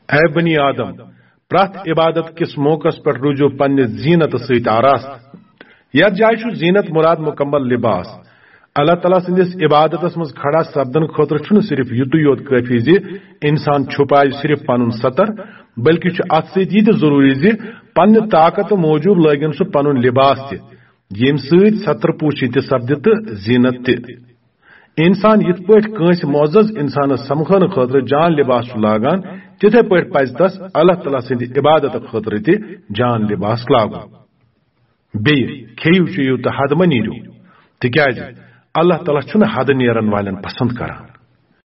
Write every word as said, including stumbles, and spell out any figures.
A بنی آدم، پرٛٮ۪تھ عبادت کِس موقعس پٮ۪ٹھ روٗزِو پننہِ زینت سۭتۍ آراستہٕ۔ یتھ جایہِ چھُ زینت مراد مکمل لباس۔ اللہ تعالیٰ سٕنٛدِس عبادتس منٛز کھڑا سپدن خٲطرٕ چھُنہٕ صرف یُتُے یوت کٲفی زِ انسان چھُپایہِ صرف پنُن ستر، بلکہِ چھُ اتھ سۭتۍ یہِ تہِ ضروٗری زِ پننہِ طاقتہٕ موٗجوٗب لٲگِن سُہ پنُن لباس تہِ، ییٚمہِ سۭتۍ ستر پوٗشی تہِ سپدِ تہٕ زینت تہِ۔ انسان یِتھ پٲٹھۍ کٲنٛسہِ معزز انسانس سمکھنہٕ خٲطرٕ جان لباس چھُ لاگان، تِتھے پٲٹھۍ پزِ تس اللہ تعالیٰ سٕنٛدِ عبادتہٕ خٲطرٕ تہِ جان لباس لاگُن۔ بیٚیہِ کھیٚیِو چیٚیِو تہٕ حد مہ نیٖرِو، تِکیازِ اللہ تعالیٰ چھُنہٕ حد نیرن والٮ۪ن پسند کران۔